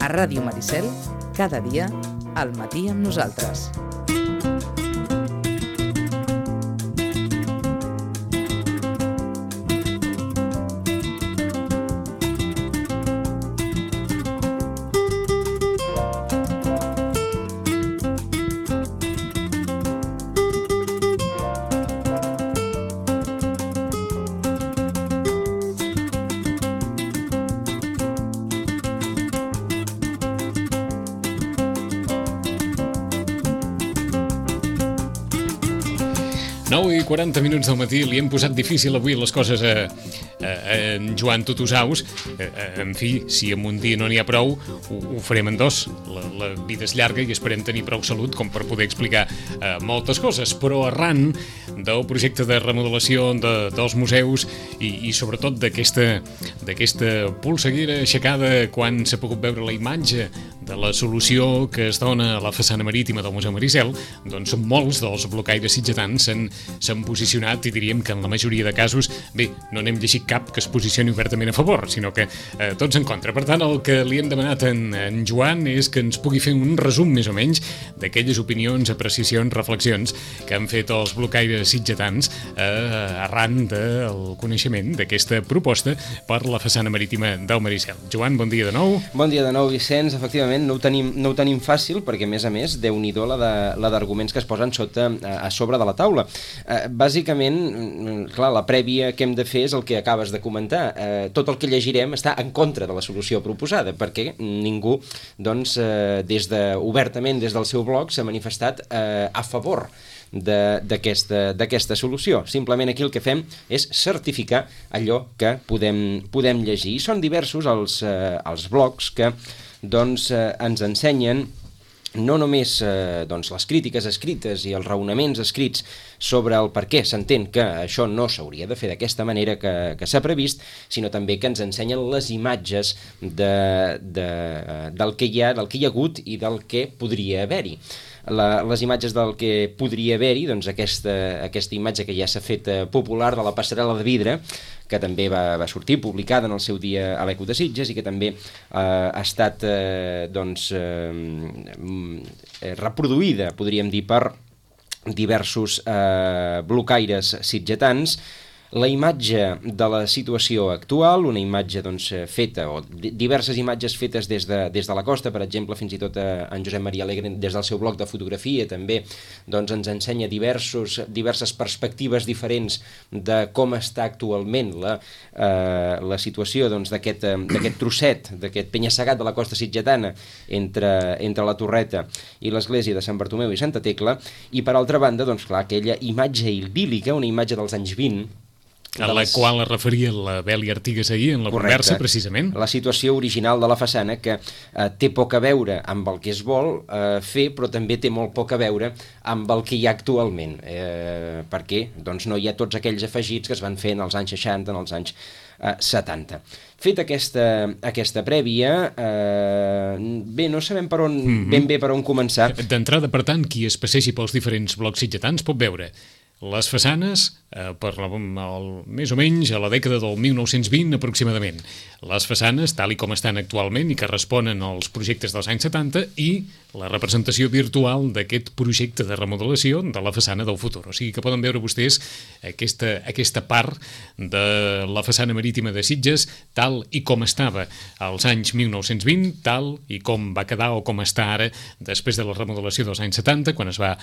A Ràdio Maricel, cada dia, al matí amb nosaltres. I 40 minuts del matí, li hem posat difícil avui les coses a en Joan Tutusaus. En fi, si en un dia no n'hi ha prou, ho farem en dos. La vida és llarga i esperem tenir prou salut com per poder explicar moltes coses, però arran del projecte de remodelació dels museus i sobretot d'aquesta polseguera aixecada quan s'ha pogut veure la imatge de la solució que es dona a la façana marítima del Museu Maricel, doncs molts dels blocaires sitgetans s'han posicionat i diríem que en la majoria de casos, bé, no n'hem llegit cap que es posicioni obertament a favor, sinó que tots en contra. Per tant, el que li hem demanat en Joan és que ens pugui fer un resum més o menys d'aquelles opinions, apreciacions, reflexions que han fet els blocaires sitgetans arran del coneixement d'aquesta proposta per la façana marítima del Maricel. Joan, bon dia de nou. Bon dia de nou, Vicenç. Efectivament, no ho tenim fàcil perquè, a més, Déu-n'hi-do la d'arguments que es posen a sobre de la taula. Bàsicament, clar, la prèvia que hem de fer és el que acabes de comentar. Tot el que llegirem està en contra de la solució proposada, perquè ningú, doncs, obertament des del seu blog s'ha manifestat a favor d'aquesta solució. Simplement aquí el que fem és certificar allò que podem llegir. I són diversos els blogs que doncs, ens ensenyen no només les crítiques escrites i els raonaments escrits sobre el per què s'entén que això no s'hauria de fer d'aquesta manera que s'ha previst, sinó també que ens ensenyen les imatges del que hi ha hagut i del que podria haver-hi. Les imatges del que podria haver-hi, doncs aquesta imatge que ja s'ha fet popular de la passarel·la de vidre, que també va sortir publicada en el seu dia a l'Eco de Sitges i que també ha estat reproduïda, podríem dir, per diversos blocaires sitgetans. La imatge de la situació actual, una imatge feta, o diverses imatges fetes des de la costa, per exemple, fins i tot en Josep Maria Alegre, des del seu blog de fotografia, també ens ensenya diverses perspectives diferents de com està actualment la situació d'aquest trosset, d'aquest penya-segat de la costa sitgetana entre la Torreta i l'església de Sant Bartomeu i Santa Tecla, i per altra banda, aquella imatge idíl·lica, una imatge dels anys 20, a la qual es referia la Beli Artigas ahir en la conversa, precisament. La situació original de la façana, que té poc a veure amb el que es vol fer, però també té molt poc a veure amb el que hi ha actualment, perquè no hi ha tots aquells afegits que es van fer en els anys 60, en els anys 70. Fet aquesta prèvia, bé, no sabem ben bé per on començar. D'entrada, per tant, qui es passegi pels diferents blocs sitgetans pot veure les façanes més o menys a la dècada del 1920 aproximadament. Les façanes, tal i com estan actualment i que responen als projectes dels anys 70, i la representació virtual d'aquest projecte de remodelació de la façana del futur. O sigui que poden veure vostès aquesta part de la façana marítima de Sitges tal i com estava als anys 1920, tal i com va quedar o com està ara després de la remodelació dels anys 70, quan es va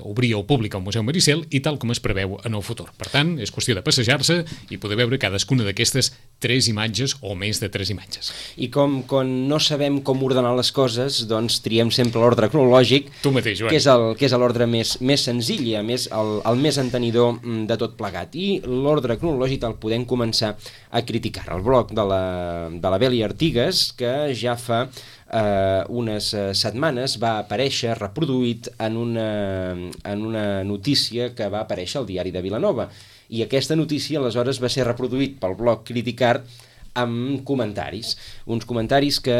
obrir al públic al Museu Maricel, i tal com es preveu en el futur. Per tant, és qüestió de passejar-se i poder veure cadascuna d'aquestes 3 imatges o més de 3 imatges. I com no sabem com ordenar les coses, doncs triem sempre l'ordre cronològic, tu mateix, Joan, que és l'ordre més senzill i el més entenidor de tot plegat. I l'ordre cronològic el podem començar a criticar. El blog de la Beli Artigas, que ja fa unes setmanes va aparèixer reproduït en una notícia que va aparèixer al diari de Vilanova, i aquesta notícia aleshores va ser reproduït pel blog Criticart amb comentaris, uns comentaris que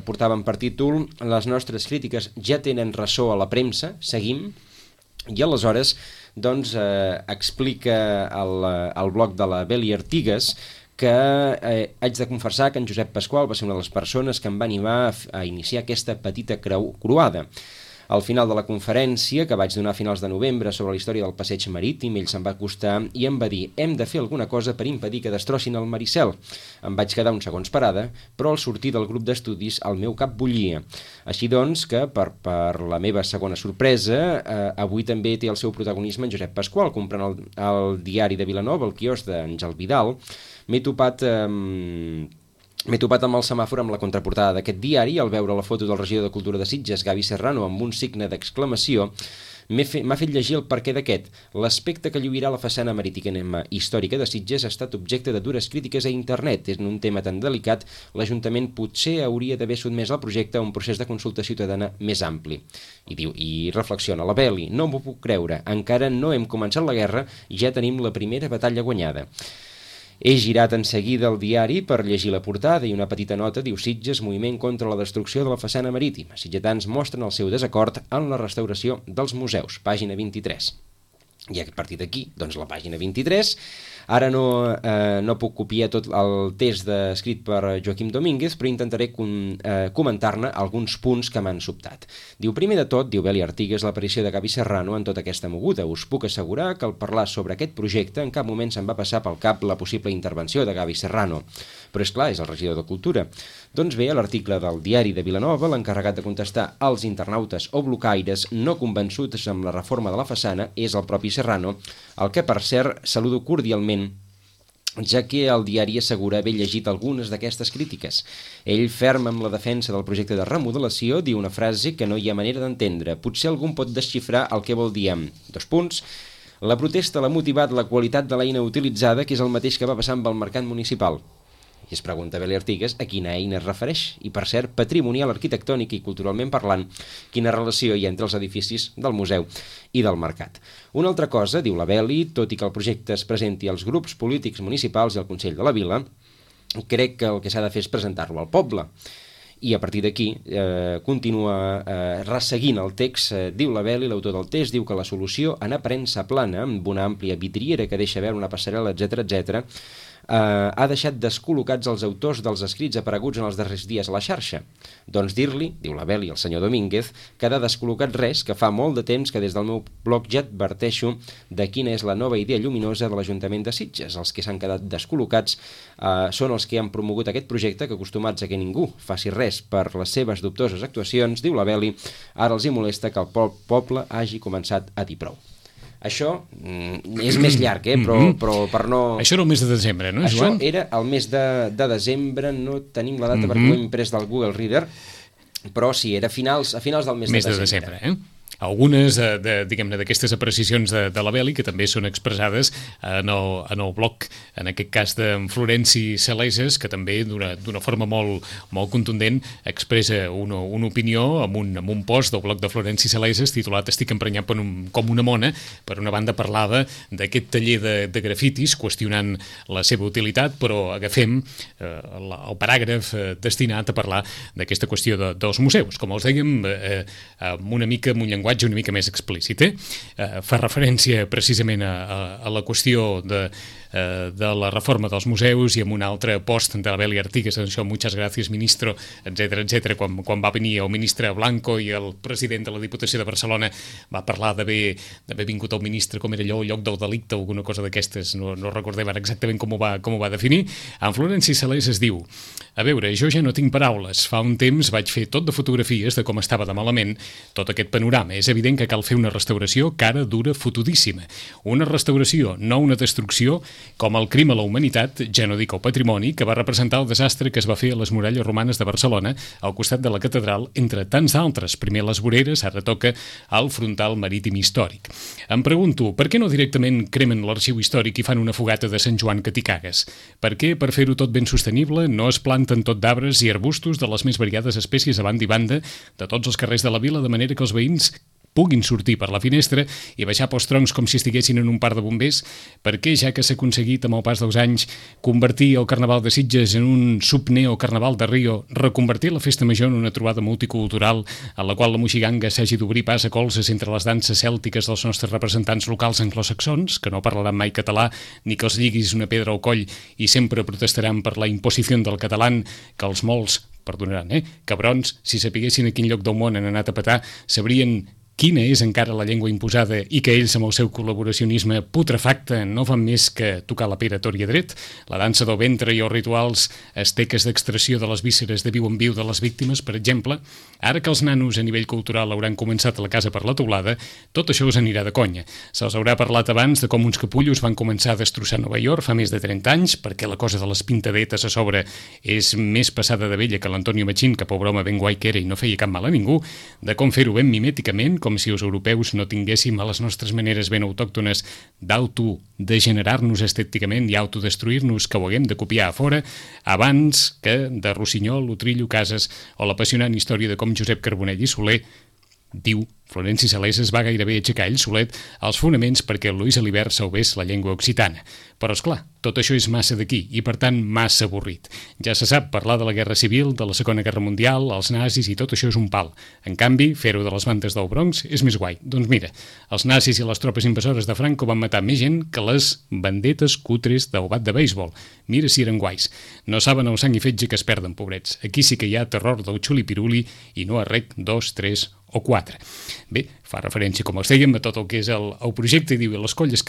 portaven per títol "Les nostres crítiques ja tenen ressò a la premsa, seguim", i aleshores explica el blog de la Beli Artigas que haig de confessar que en Josep Pasqual va ser una de les persones que em va animar a iniciar aquesta petita croada. Al final de la conferència, que vaig donar a finals de novembre sobre la història del passeig marítim, ell se'm va acostar i em va dir: hem de fer alguna cosa per impedir que destrossin el Maricel. Em vaig quedar uns segons parada, però al sortir del grup d'estudis el meu cap bullia. Així doncs que, per la meva segona sorpresa, avui també té el seu protagonisme en Josep Pasqual. Comprant el diari de Vilanova, el quiosc d'Àngel Vidal, m'he topat amb el semàfor amb la contraportada d'aquest diari i al veure la foto del regidor de Cultura de Sitges, Gavi Serrano, amb un signe d'exclamació, m'ha fet llegir el perquè d'aquest. L'aspecte que lluirà la façana marítima històrica de Sitges ha estat objecte de dures crítiques a internet. En un tema tan delicat, l'Ajuntament potser hauria d'haver sotmès el projecte a un procés de consulta ciutadana més ampli. I reflexiona la Beli: no m'ho puc creure, encara no hem començat la guerra i ja tenim la primera batalla guanyada. He girat en seguida el diari per llegir la portada i una petita nota diu: Sitges, moviment contra la destrucció de la façana marítima. Sitgetans mostren el seu desacord en la restauració dels museus. Pàgina 23. I a partir d'aquí, doncs la pàgina 23. Ara no puc copiar tot el text escrit per Joaquim Domínguez, però intentaré comentar-ne alguns punts que m'han sobtat. Diu: primer de tot, diu Beli Artigues, l'aparició de Gavi Serrano en tota aquesta moguda. Us puc assegurar que al parlar sobre aquest projecte en cap moment se'm va passar pel cap la possible intervenció de Gavi Serrano. Però és clar, és el regidor de Cultura. Doncs bé, a l'article del diari de Vilanova, l'encarregat de contestar als internautes o blocaires no convençuts amb la reforma de la façana és el propi Serrano, el que per cert saludo cordialment, ja que el diari assegura haver llegit algunes d'aquestes crítiques. Ell, ferm amb la defensa del projecte de remodelació, diu una frase que no hi ha manera d'entendre. Potser algú pot desxifrar el que vol dir amb: la protesta l'ha motivat la qualitat de l'eina utilitzada, que és el mateix que va passar amb el mercat municipal. I es pregunta Beli Artigues a quina eina es refereix. I, per cert, patrimonial, arquitectònic i culturalment parlant, quina relació hi ha entre els edificis del museu i del mercat. Una altra cosa, diu la Beli, tot i que el projecte es presenti als grups polítics municipals i al Consell de la Vila, crec que el que s'ha de fer és presentar-lo al poble. I a partir d'aquí continua resseguint el text, diu la Beli, l'autor del text, diu que la solució en aparença plana, amb una àmplia vidriera que deixa veure una passarel·la, etc., ha deixat descol·locats els autors dels escrits apareguts en els darrers dies a la xarxa. Doncs dir-li, diu la Beli, al senyor Domínguez, que ha descol·locat res, que fa molt de temps que des del meu blog ja adverteixo de quina és la nova idea lluminosa de l'Ajuntament de Sitges. Els que s'han quedat descol·locats són els que han promogut aquest projecte, que acostumats a que ningú faci res per les seves dubtoses actuacions, diu la Beli, ara els hi molesta que el poble hagi començat a dir prou. Això és més llarg, però per no... Això era el mes de desembre, no, Joan? Això era el mes de desembre, no tenim la data perquè ho hem imprès del Google Reader, però sí, era a finals del mes de desembre. Algunes diguem-ne d'aquestes apreciacions de la Beli, que també són expressades en el blog, en aquest cas d'en Florenci Saleses, que també d'una forma molt contundent expressa una opinió amb un post del blog de Florenci Saleses titulat "Estic emprenyat com una mona". Per una banda parlava d'aquest taller de grafitis, qüestionant la seva utilitat, però agafem el paràgraf destinat a parlar d'aquesta qüestió dels museus. Com els dèiem, amb un llenguatge una mica més explícit. Fa referència precisament a la qüestió de la reforma dels museus i amb un altre post de la Beli Artigues, això, muchas gracias ministro, etc. Quan va venir el ministre Blanco i el president de la Diputació de Barcelona va parlar d'haver vingut el ministre, com era allò, el lloc del delicte, alguna cosa d'aquestes, no recordem ara exactament com ho va definir. En Florenci Salés es diu: a veure, jo ja no tinc paraules, fa un temps vaig fer tot de fotografies de com estava de malament tot aquest panorama. És evident que cal fer una restauració cara, dura, fotudíssima. Una restauració, no una destrucció, com el crim a la humanitat, ja no dic el patrimoni, que va representar el desastre que es va fer a les muralles romanes de Barcelona, al costat de la catedral, entre tants d'altres. Primer les voreres, ara toca el frontal marítim històric. Em pregunto, per què no directament cremen l'arxiu històric i fan una fogata de Sant Joan que t'hi cagues? Per què, per fer-ho tot ben sostenible, no es planten tot d'arbres i arbustos de les més variades espècies a banda i banda de tots els carrers de la vila, de manera que els veïns puguin sortir per la finestra i baixar pels troncs com si estiguessin en un parc de bombers, perquè ja que s'ha aconseguit amb el pas dels anys convertir el Carnaval de Sitges en un subneo-carnaval de Rio, reconvertir la festa major en una trobada multicultural en la qual la moixiganga s'hagi d'obrir pas a colzes entre les danses cèltiques dels nostres representants locals anglosaxons, que no parlaran mai català ni que els lliguis una pedra al coll i sempre protestaran per la imposició del català, que els molts, perdonaran, cabrons, si sapiguessin a quin lloc del món han anat a petar, sabrien quina és encara la llengua imposada i que ells amb el seu col·laboracionisme putrefacte no fan més que tocar la pera tor i a dret, la dansa del ventre i els rituals asteques d'extracció de les vísceres de viu en viu de les víctimes, per exemple. Ara que els nanos a nivell cultural hauran començat a la casa per la teulada, tot això us anirà de conya. Se'ls haurà parlat abans de com uns capullos van començar a destrossar Nova York fa més de 30 anys, perquè la cosa de les pintadetes a sobre és més passada de vella que l'Antonio Machín, que pobre home ben guai que era i no feia cap mal a ningú, de com fer-ho ben mimèticament, com si els europeus no tinguéssim a les nostres maneres ben autòctones d'autodegenerar-nos estèticament i autodestruir-nos, que ho haguem de copiar a fora, abans que de Rossinyol, Utrillo, Casas o l'apassionant història de com Josep Carbonell i Soler, diu Florenci Salesas, va gairebé aixecar ell solet els fonaments perquè el Luis Alibert salvés la llengua occitana. Però, esclar, tot això és massa d'aquí i, per tant, massa avorrit. Ja se sap, parlar de la Guerra Civil, de la Segona Guerra Mundial, els nazis i tot això és un pal. En canvi, fer-ho de les bandes del Bronx és més guai. Doncs mira, els nazis i les tropes invasores de Franco van matar més gent que les bandetes cutres del bat de béisbol. Mira si eren guais. No saben el sang i fetge que es perden, pobrets. Aquí sí que hi ha terror del xuli-piruli i no a rec 2, 3 o 4. Bé, fa referència, com els dèiem, a tot el que és el projecte i diu i les coses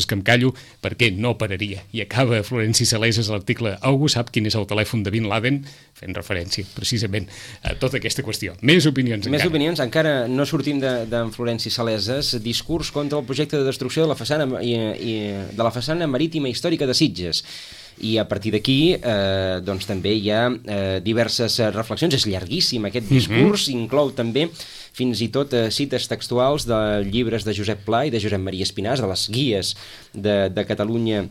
que em callo perquè no pararia. I acaba Florenci Salesas l'article Algú sap quin és el telèfon de Bin Laden, fent referència precisament a tota aquesta qüestió. Més opinions encara. Més opinions, encara no sortim d'en Florenci Salesas. Discurs contra el projecte de destrucció de la façana marítima històrica de Sitges. I a partir d'aquí doncs també hi ha diverses reflexions. És llarguíssim aquest discurs, inclou també fins i tot cites textuals de llibres de Josep Pla i de Josep Maria Espinàs, de les guies de Catalunya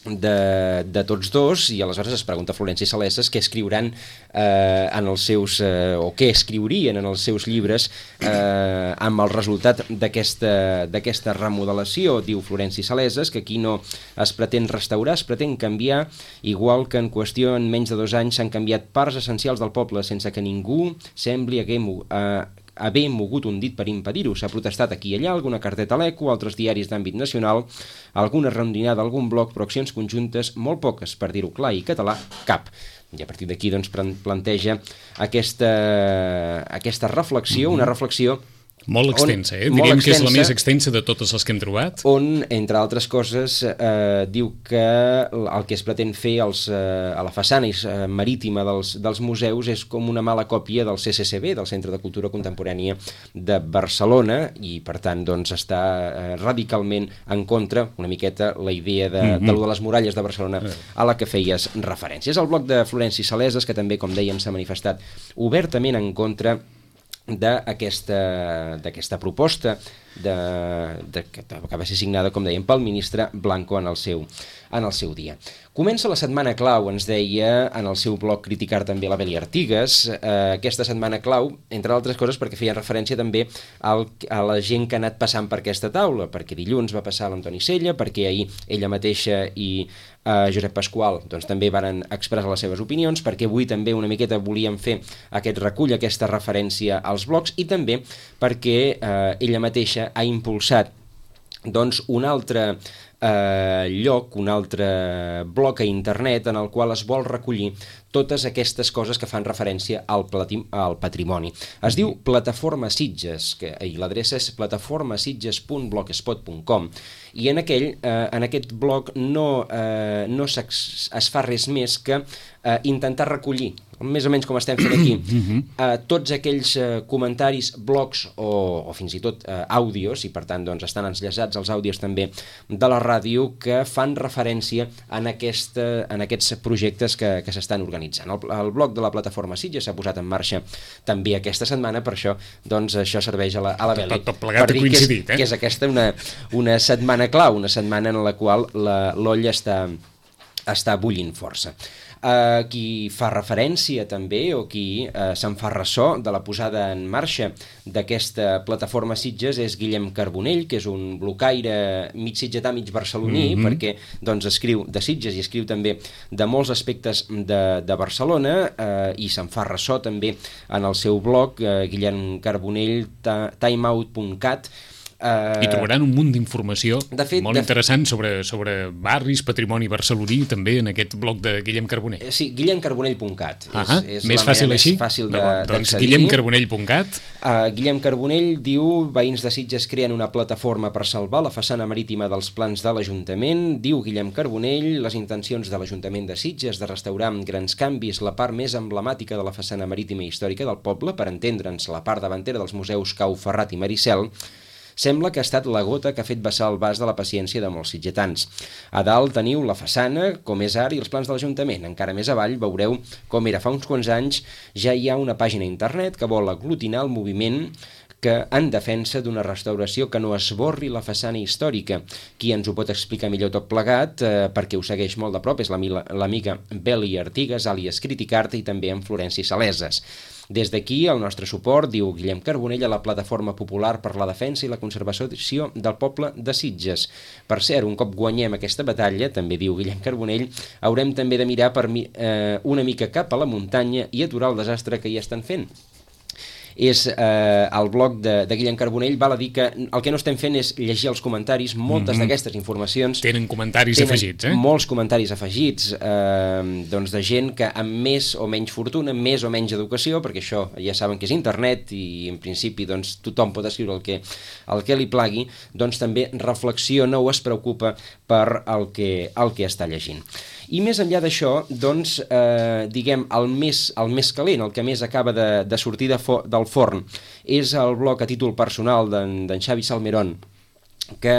de tots dos, i aleshores es pregunta Florenci Salesas què escriuran en els seus, o què escriurien en els seus llibres amb el resultat d'aquesta remodelació. Diu Florenci Salesas que aquí no es pretén restaurar, es pretén canviar, igual que en qüestió en menys de 2 anys s'han canviat parts essencials del poble sense que ningú sembli haver mogut un dit per impedir-ho. S'ha protestat aquí i allà, alguna carteta a l'Eco, altres diaris d'àmbit nacional, alguna rondinada, algun bloc, però accions conjuntes molt poques, per dir-ho clar i català, cap. I a partir d'aquí doncs, planteja aquesta reflexió, una reflexió molt extensa, diríem que és la més extensa de totes les que hem trobat. On, entre altres coses, diu que el que es pretén fer a la façana marítima dels museus és com una mala còpia del CCCB, del Centre de Cultura Contemporània de Barcelona, i per tant doncs, està radicalment en contra, una miqueta, la idea de les muralles de Barcelona a la que feies referència. És el bloc de Florenci Salesas, que també, com dèiem, s'ha manifestat obertament en contra d'aquesta proposta que va ser signada, com dèiem, pel ministre Blanco en el seu dia. Comença la setmana clau, ens deia en el seu blog Criticar també la Beli Artigas, aquesta setmana clau, entre altres coses perquè feia referència també a la gent que ha anat passant per aquesta taula, perquè dilluns va passar l'Antoni Sella, perquè ahir ella mateixa i Josep Pasqual doncs, també van expressar les seves opinions, perquè avui també una miqueta volíem fer aquest recull, aquesta referència als blogs, i també perquè ella mateixa ha impulsat doncs, un altre lloc, un altre bloc a internet en el qual es vol recollir totes aquestes coses que fan referència al patrimoni. Es diu Plataforma Sitges, i l'adreça és plataformasitges.blogspot.com, i en aquest blog no es fa res més que intentar recollir, més o menys com estem fent aquí, tots aquells comentaris, blogs o fins i tot àudios, i per tant doncs, estan enllaçats els àudios també de la ràdio, que fan referència en aquests projectes que s'estan organitzant. El blog de la Plataforma Sitges s'ha posat en marxa també aquesta setmana, per això doncs, això serveix a la Beli. Tot plegat ha coincidit, que és aquesta una setmana clau, una setmana en la qual l'olla està bullint força. Qui fa referència també, o qui se'n fa ressò de la posada en marxa d'aquesta plataforma Sitges és Guillem Carbonell, que és un blocaire mig sitgetà, mig barceloní, perquè doncs, escriu de Sitges i escriu també de molts aspectes de Barcelona, i se'n fa ressò també en el seu blog, Guillem Carbonell, timeout.cat. I trobaran un munt d'informació molt interessant sobre barris, patrimoni barceloní, també en aquest blog de Guillem Carbonell. Sí, guillemcarbonell.cat. És més fàcil així? Doncs guillemcarbonell.cat. Guillem Carbonell diu: veïns de Sitges creen una plataforma per salvar la façana marítima dels plans de l'Ajuntament. Diu Guillem Carbonell: les intencions de l'Ajuntament de Sitges de restaurar amb grans canvis la part més emblemàtica de la façana marítima i històrica del poble, per entendre'ns la part davantera dels museus Cau Ferrat i Maricel, sembla que ha estat la gota que ha fet vessar el vas de la paciència de molts sitgetans. A dalt teniu la façana, com és ara, i els plans de l'Ajuntament. Encara més avall veureu com era fa uns quants anys. Ja hi ha una pàgina a internet que vol aglutinar el moviment que en defensa d'una restauració que no esborri la façana històrica. Qui ens ho pot explicar millor tot plegat, perquè ho segueix molt de prop, és l'amiga Beli Artigas, àlies Criticart, i també en Florenci Saleses. Des d'aquí, el nostre suport, diu Guillem Carbonell, a la Plataforma Popular per la Defensa i la Conservació del Poble de Sitges. Per cert, un cop guanyem aquesta batalla, també diu Guillem Carbonell, haurem també de mirar una mica cap a la muntanya i aturar el desastre que hi estan fent. És el blog de Guillem Carbonell. Val a dir que el que no estem fent és llegir els comentaris. Moltes d'aquestes informacions tenen comentaris afegits, molts comentaris afegits, doncs de gent que amb més o menys fortuna, més o menys educació, perquè això ja saben que és internet i en principi doncs, tothom pot escriure el que li plagui, doncs també reflexiona o es preocupa per el que està llegint. I més enllà d'això, doncs, diguem, el més calent, el que més acaba de sortir del forn, és el blog a títol personal d'en Xavi Salmerón, que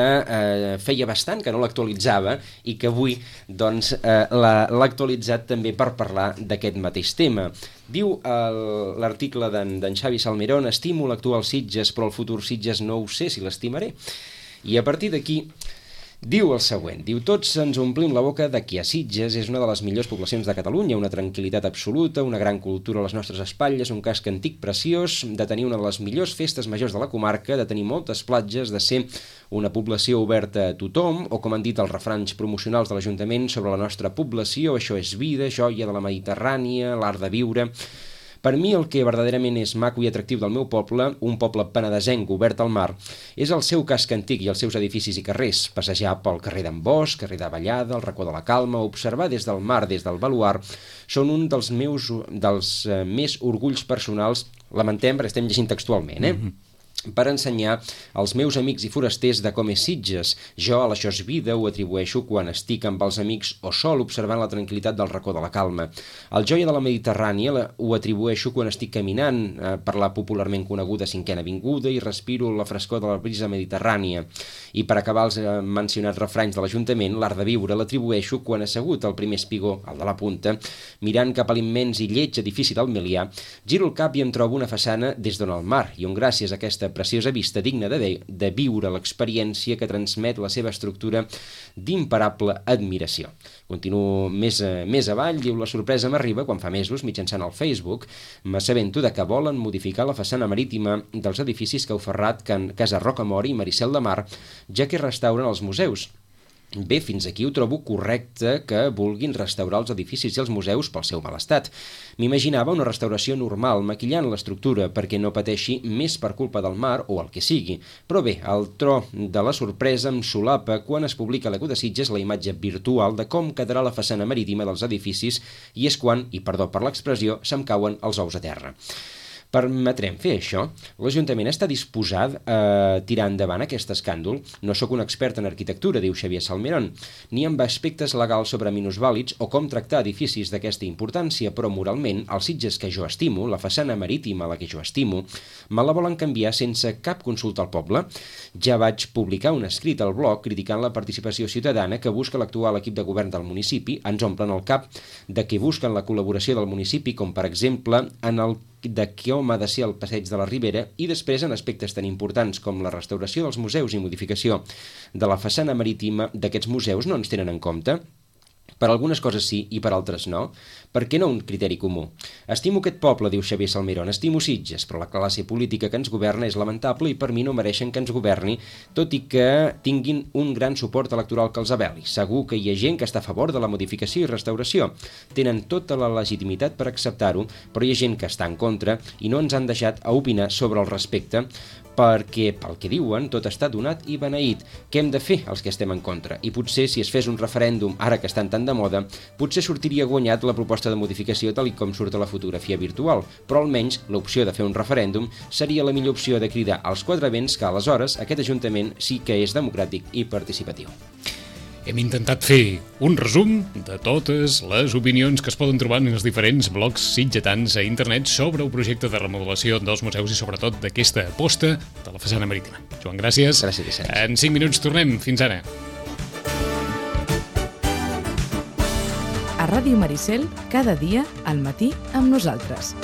feia bastant que no l'actualitzava i que avui doncs, l'ha actualitzat també per parlar d'aquest mateix tema. Diu l'article d'en Xavi Salmerón: estimo l'actual Sitges, però el futur Sitges no ho sé si l'estimaré. I a partir d'aquí diu el següent, diu: tots ens omplim la boca de que a Sitges és una de les millors poblacions de Catalunya, una tranquil·litat absoluta, una gran cultura a les nostres espatlles, un casc antic preciós, de tenir una de les millors festes majors de la comarca, de tenir moltes platges, de ser una població oberta a tothom, o com han dit els refranys promocionals de l'Ajuntament sobre la nostra població: això és vida, joia de la Mediterrània, l'art de viure. Per mi el que verdaderament és maco i atractiu del meu poble, un poble penedesenc obert al mar, és el seu casc antic i els seus edificis i carrers, passejar pel carrer d'en Bosch, carrer de Vallada, el racó de la Calma, observar des del mar, des del baluard, són un dels més orgulls personals, lamentem perquè estem llegint textualment, per ensenyar als meus amics i forasters de com és Sitges. Jo a l'Això és vida ho atribueixo quan estic amb els amics o sol observant la tranquil·litat del racó de la Calma. El joia de la Mediterrània ho atribueixo quan estic caminant per la popularment coneguda 5a Avinguda i respiro la frescor de la brisa mediterrània. I per acabar els mencionats refranys de l'Ajuntament, l'art de viure l'atribueixo quan assegut al primer espigó, al de la punta, mirant cap a l'immens i lleig edifici del Milià, giro el cap i em trobo una façana des d'on el mar, i on gràcies a aquesta preciosa vista digna de viure l'experiència que transmet la seva estructura d'imparable admiració. Continuo més avall, diu: la sorpresa m'arriba quan fa mesos, mitjançant el Facebook, m'assabento de que volen modificar la façana marítima dels edificis Cau Ferrat, Casa Rocamora i Maricel de Mar, ja que restauren els museus. Bé, fins aquí ho trobo correcte que vulguin restaurar els edificis i els museus pel seu mal estat. M'imaginava una restauració normal, maquillant l'estructura perquè no pateixi més per culpa del mar o el que sigui. Però bé, el tro de la sorpresa em solapa quan es publica a l'Eco de Sitges la imatge virtual de com quedarà la façana marítima dels edificis, i és quan, i perdó per l'expressió, se'm cauen els ous a terra. Permetrem fer això? L'Ajuntament està disposat a tirar endavant aquest escàndol? No sóc un expert en arquitectura, diu Xavier Salmerón, ni amb aspectes legals sobre minusvàlids o com tractar edificis d'aquesta importància, però moralment, els Sitges que jo estimo, la façana marítima la que jo estimo, me la volen canviar sense cap consulta al poble? Ja vaig publicar un escrit al blog criticant la participació ciutadana que busca l'actual equip de govern del municipi. Ens omplen el cap de que busquen la col·laboració del municipi, com per exemple en el de com ha de ser el passeig de la Ribera, i després en aspectes tan importants com la restauració dels museus i modificació de la façana marítima d'aquests museus no ens tenen en compte. Per algunes coses sí i per altres no. Per què no un criteri comú? Estimo aquest poble, diu Xavier Salmerón, estimo Sitges, però la classe política que ens governa és lamentable i per mi no mereixen que ens governi, tot i que tinguin un gran suport electoral que els aveli. Segur que hi ha gent que està a favor de la modificació i restauració. Tenen tota la legitimitat per acceptar-ho, però hi ha gent que està en contra i no ens han deixat a opinar sobre el respecte perquè, pel que diuen, tot està donat i beneït. Què hem de fer els que estem en contra? I potser, si es fes un referèndum, ara que estan tan de moda, potser sortiria guanyat la proposta de modificació tal com surt a la fotografia virtual, però almenys l'opció de fer un referèndum seria la millor opció de cridar als quatre vents que aleshores aquest Ajuntament sí que és democràtic i participatiu. Hem intentat fer un resum de totes les opinions que es poden trobar en els diferents blogs sitgetans a internet sobre el projecte de remodelació dels museus i sobretot d'aquesta aposta de la façana marítima. Joan, gràcies. Gràcies, Vicenç. En 5 minuts tornem. Fins ara. A Ràdio Maricel, cada dia al matí amb nosaltres.